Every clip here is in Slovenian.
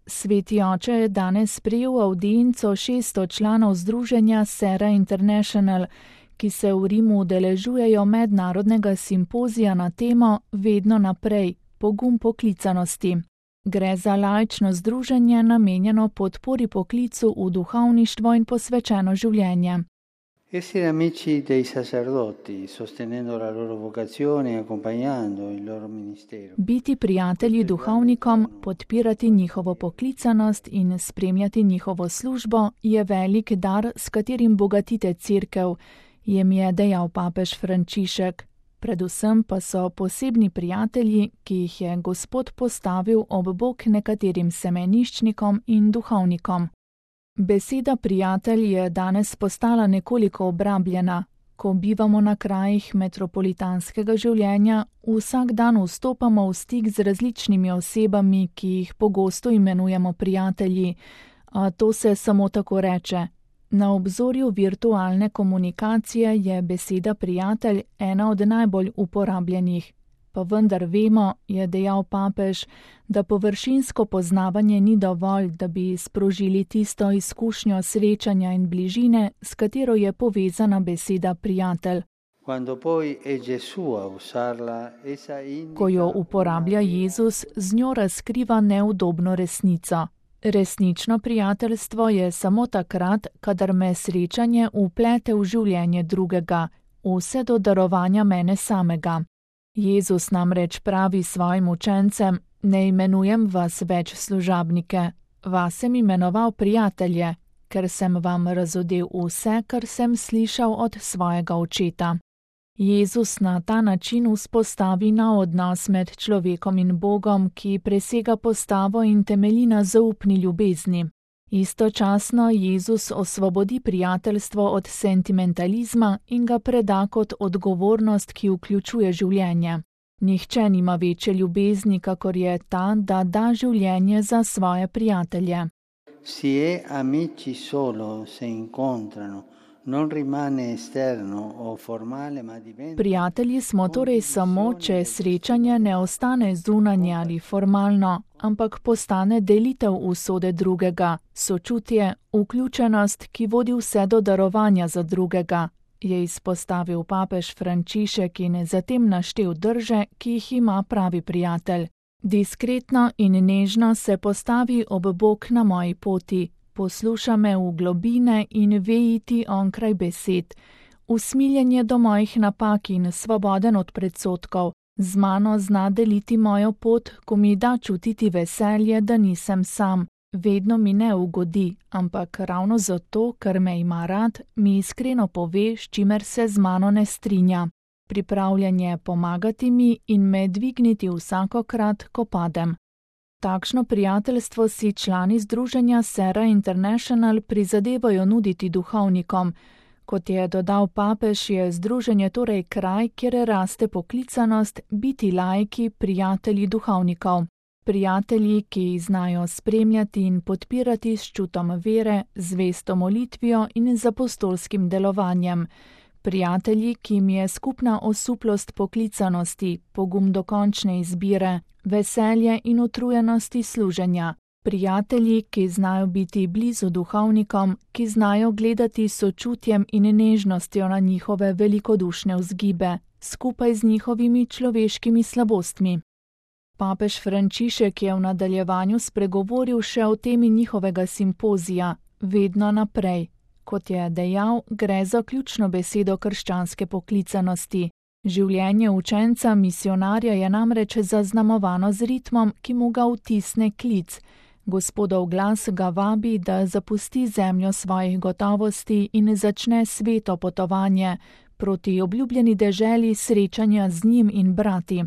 Sveti oče je danes sprejel avdienco 600 članov združenja Sera International, ki se v Rimu udeležujejo mednarodnega simpozija na temo Vedno naprej, pogum poklicanosti. Gre za laično združenje namenjeno podpori poklicu v duhovništvo in posvečeno življenje. Essere amici dei sacerdoti, sostenendo la loro vocazione e accompagnando il loro ministero. Biti prijatelji duhovnikom, podpirati njihovo poklicanost in spremljati njihovo službo je velik dar, s katerim bogatite cerkev, jim je dejal papež Frančišek. Predvsem pa so posebni prijatelji, ki jih je Gospod postavil ob bok nekaterim semeniščnikom in duhovnikom. Beseda prijatelj je danes postala nekoliko obrabljena. Ko bivamo na krajih metropolitanskega življenja, vsak dan vstopamo v stik z različnimi osebami, ki jih pogosto imenujemo prijatelji, a to se samo tako reče. Na obzorju virtualne komunikacije je beseda prijatelj ena od najbolj uporabljenih. Pa vendar vemo, je dejal papež, da površinsko poznavanje ni dovolj, da bi sprožili tisto izkušnjo srečanja in bližine, s katero je povezana beseda prijatelj. Ko jo uporablja Jezus, z njo razkriva neudobno resnico. Resnično prijateljstvo je samo takrat, kadar me srečanje vplete v življenje drugega, vse do darovanja mene samega. Jezus namreč pravi svojim učencem: ne imenujem vas več služabnike, vas sem imenoval prijatelje, ker sem vam razodel vse, kar sem slišal od svojega očeta. Jezus na ta način vzpostavi nov odnos med človekom in Bogom, ki presega postavo in temelji na zaupni ljubezni. Istočasno Jezus osvobodi prijateljstvo od sentimentalizma in ga preda kot odgovornost, ki vključuje življenje. Nihče nima večje ljubezni, kakor je ta, da da življenje za svoje prijatelje. Si è amici solo se incontrano. Non rimane esterno o formale, ma diventa. Prijatelji smo torej samo, če srečanje ne ostane zunanje ali formalno, ampak postane delitev usode drugega, sočutje, vključenost, ki vodi vse do darovanja za drugega, je izpostavil papež Frančišek in zatem naštel drže, ki jih ima pravi prijatelj. Diskretno in nežno se postavi ob bok na moji poti. Posluša me v globine in vejiti onkraj besed, usmiljenje do mojih napak in svoboden od predsodkov, z mano zna deliti mojo pot, ko mi da čutiti veselje, da nisem sam, vedno mi ne ugodi, ampak ravno zato, ker me ima rad, mi iskreno pove, s čimer se z mano ne strinja. Pripravljen je pomagati mi in me dvigniti vsakokrat, ko padem. Takšno prijateljstvo si člani združenja Sera International prizadevajo nuditi duhovnikom. Kot je dodal papež, je združenje torej kraj, kjer raste poklicanost biti laiki, prijatelji duhovnikov. Prijatelji, ki znajo spremljati in podpirati s čutom vere, zvesto molitvijo in z apostolskim delovanjem. Prijatelji, ki jim je skupna osuplost poklicanosti, pogum dokončne izbire, veselje in utrujenosti služenja. Prijatelji, ki znajo biti blizu duhovnikom, ki znajo gledati s sočutjem in nežnostjo na njihove velikodušne vzgibe, skupaj z njihovimi človeškimi slabostmi. Papež Frančišek je v nadaljevanju spregovoril še o temi njihovega simpozija, vedno naprej. Kot je dejal, gre za ključno besedo krščanske poklicanosti. Življenje učenca misionarja je namreč zaznamovano z ritmom, ki mu ga vtisne klic. Gospodov glas ga vabi, da zapusti zemljo svojih gotovosti in začne sveto potovanje proti obljubljeni deželi srečanja z njim in brati.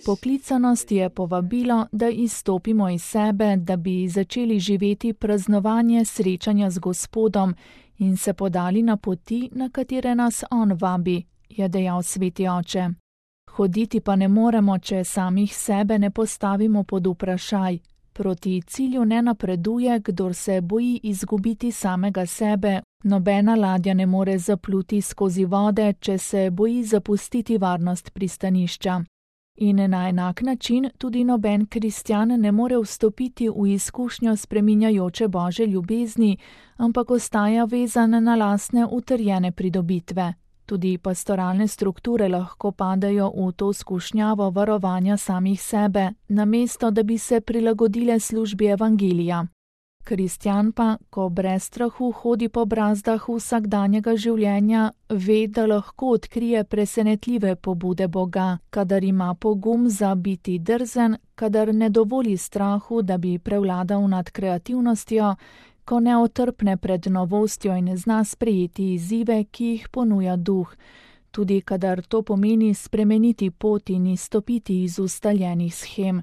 Poklicanost je povabilo, da izstopimo iz sebe, da bi začeli živeti praznovanje srečanja z Gospodom in se podali na poti, na katere nas on vabi, je dejal sveti oče. Hoditi pa ne moremo, če samih sebe ne postavimo pod vprašaj. Proti cilju ne napreduje, kdor se boji izgubiti samega sebe. Nobena ladja ne more zapluti skozi vode, če se boji zapustiti varnost pristanišča. In na enak način tudi noben kristjan ne more vstopiti v izkušnjo spreminjajoče Božje ljubezni, ampak ostaja vezan na lastne utrjene pridobitve. Tudi pastoralne strukture lahko padejo v to skušnjavo varovanja samih sebe, namesto da bi se prilagodile službi evangelija. Kristjan pa, ko brez strahu hodi po brazdah vsakdanjega življenja, ve, da lahko odkrije presenetljive pobude Boga, kadar ima pogum za biti drzen, kadar ne dovoli strahu, da bi prevladal nad kreativnostjo, ko ne otrpne pred novostjo in zna sprejeti izzive, ki jih ponuja duh, tudi kadar to pomeni spremeniti pot in izstopiti iz ustaljenih shem.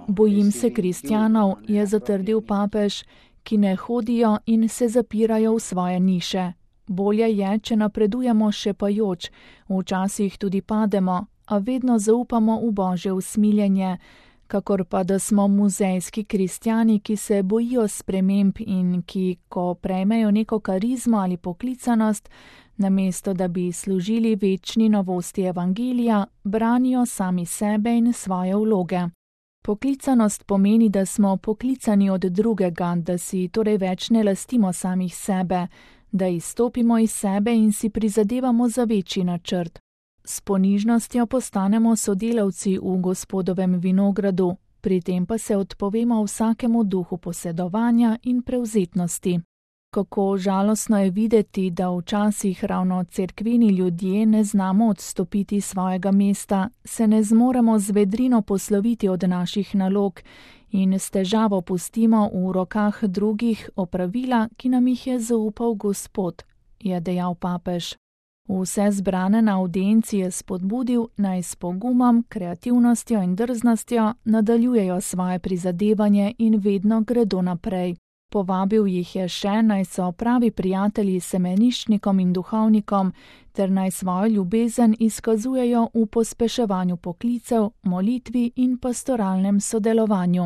Bojim se kristjanov, je zatrdil papež, ki ne hodijo in se zapirajo v svoje niše. Bolje je, če napredujemo šepajoč, včasih tudi pademo, a vedno zaupamo v Božje usmiljenje, kakor pa da smo muzejski kristjani, ki se bojijo sprememb in ki, ko prejmejo neko karizmo ali poklicanost, namesto da bi služili večni novosti evangelija, branijo sami sebe in svoje vloge. Poklicanost pomeni, da smo poklicani od drugega, da si torej več ne lastimo samih sebe, da izstopimo iz sebe in si prizadevamo za večji načrt. S ponižnostjo postanemo sodelavci v Gospodovem vinogradu, pri tem pa se odpovemo vsakemu duhu posedovanja in prevzetnosti. Kako žalostno je videti, da včasih ravno cerkveni ljudje ne znamo odstopiti svojega mesta, se ne zmoremo z vedrino posloviti od naših nalog in s težavo pustimo v rokah drugih opravila, ki nam jih je zaupal Gospod, je dejal papež. Vse zbrane na avdienci je spodbudil, naj s pogumom, kreativnostjo in drznostjo nadaljujejo svoje prizadevanje in vedno gredo naprej. Povabil jih je še, naj so pravi prijatelji semeniščnikom in duhovnikom, ter naj svojo ljubezen izkazujejo v pospeševanju poklicev, molitvi in pastoralnem sodelovanju.